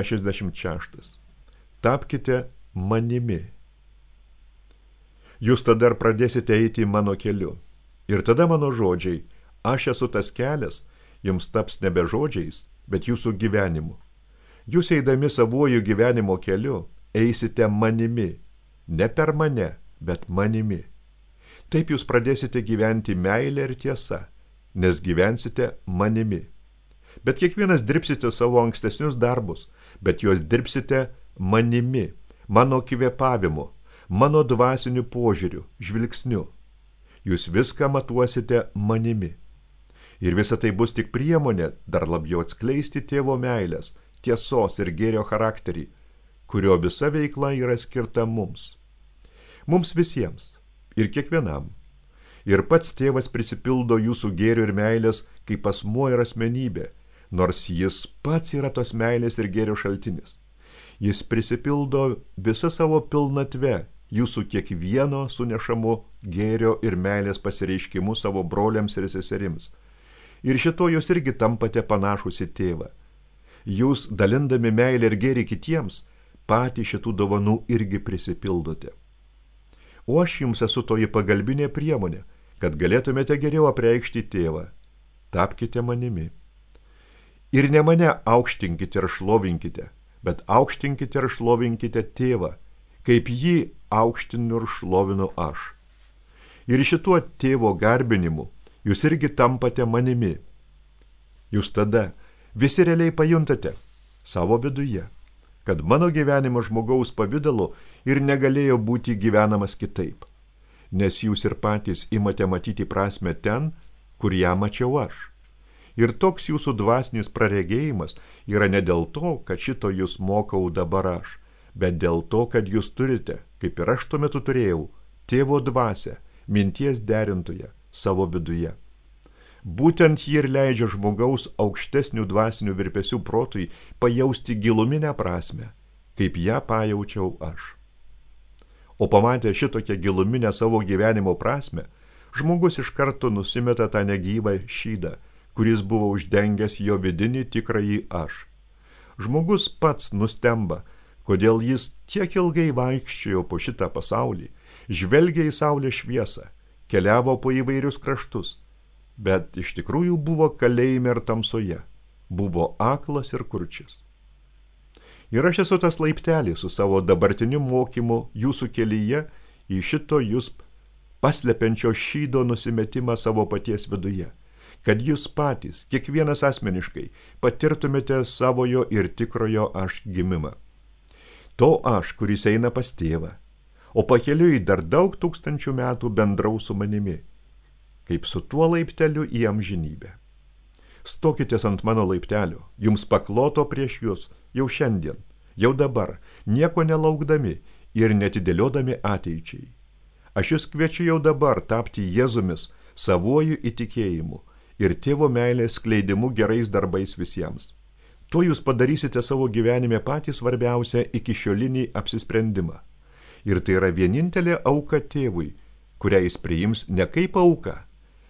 66. Tapkite manimi. Jūs tada ir pradėsite eiti mano keliu. Ir tada mano žodžiai, aš esu tas kelias, jums taps nebe žodžiais, bet jūsų gyvenimu. Jūs eidami savuoju gyvenimo keliu, eisite manimi. Ne per mane, bet manimi. Taip jūs pradėsite gyventi meilę ir tiesą, nes gyvensite manimi. Bet kiekvienas dirbsite savo ankstesnius darbus, bet juos dirbsite manimi, mano kvėpavimu, mano dvasiniu požiūriu, žvilgsniu. Jūs viską matuosite manimi. Ir visa tai bus tik priemonė dar labiau atskleisti tėvo meilės, tiesos ir gėrio charakterį, kurio visa veikla yra skirta mums. Mums visiems ir kiekvienam. Ir pats tėvas prisipildo jūsų gėrio ir meilės kaip asmuo ir asmenybė, nors jis pats yra tos meilės ir gėrio šaltinis. Jis prisipildo visą savo pilnatve jūsų kiekvieno sunešamu gėrio ir meilės pasireiškimu savo broliams ir seserims. Ir šito jūs irgi tampate panašus į tėvą. Jūs, dalindami meilę ir gėrį kitiems, patys šitų dovanų irgi prisipildote. O aš jums esu toji pagalbinė priemonė, kad galėtumėte geriau apreikšti tėvą. Tapkite manimi. Ir ne mane aukštinkite ir šlovinkite, bet aukštinkite ir šlovinkite tėvą, kaip jį aukštinu ir šlovinu aš. Ir šituo tėvo garbinimu jūs irgi tampate manimi. Jūs tada visi realiai pajuntate savo viduje, kad mano gyvenimas žmogaus pavidalu ir negalėjo būti gyvenamas kitaip, nes jūs ir patys imate matyti prasmę ten, kur ją mačiau aš. Ir toks jūsų dvasinis praregėjimas yra ne dėl to, kad šito jūs mokau dabar aš, bet dėl to, kad jūs turite, kaip ir aš tuo metu turėjau, tėvo dvasią, minties derintoje savo viduje. Būtent ji ir leidžia žmogaus aukštesnių dvasinių virpesių protui pajausti giluminę prasmę, kaip ją pajaučiau aš. O pamatę šitokią giluminę savo gyvenimo prasmę, žmogus iš karto nusimeta tą negyvą šydą, kuris buvo uždengęs jo vidinį tikrąjį aš. Žmogus pats nustemba, kodėl jis tiek ilgai vaikščiojo po šitą pasaulį, žvelgė į saulės šviesą, keliavo po įvairius kraštus, bet iš tikrųjų buvo kalėjime ir tamsoje, buvo aklas ir kurčias. Ir aš esu tas laiptelis su savo dabartiniu mokymu jūsų kelyje į šito jūs paslepiančio šydo nusimetimą savo paties viduje, kad jūs patys, kiekvienas asmeniškai, patirtumėte savojo ir tikrojo aš gimimą. To aš, kuris eina pas tėvą, o pakeliui dar daug tūkstančių metų bendraus su manimi, kaip su tuo laipteliu į amžinybę. Stokitės ant mano laiptelio, jums pakloto prieš jūs jau šiandien, jau dabar, nieko nelaukdami ir netidėliodami ateičiai. Aš jūs kviečiu jau dabar tapti Jėzumis savuoju įtikėjimu ir tėvo meilės skleidimu gerais darbais visiems. Tuo jūs padarysite savo gyvenime patį svarbiausią ikişiolinį apsisprendimą. Ir tai yra vienintelė auka tėvui, kurią jis priims ne kaip auka,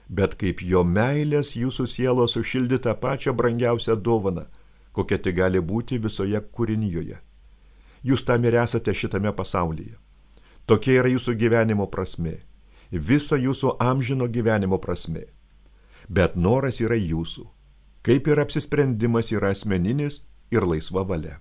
bet kaip jo meilės jūsų sielos sušildytą pačią brangiausią dovaną, kokia tai gali būti visoje kūrinijoje. Jūs tam ir esate šitame pasaulyje. Tokia yra jūsų gyvenimo prasmė, viso jūsų amžino gyvenimo prasmė. Bet noras yra jūsų, kaip ir apsisprendimas yra asmeninis ir laisva valia.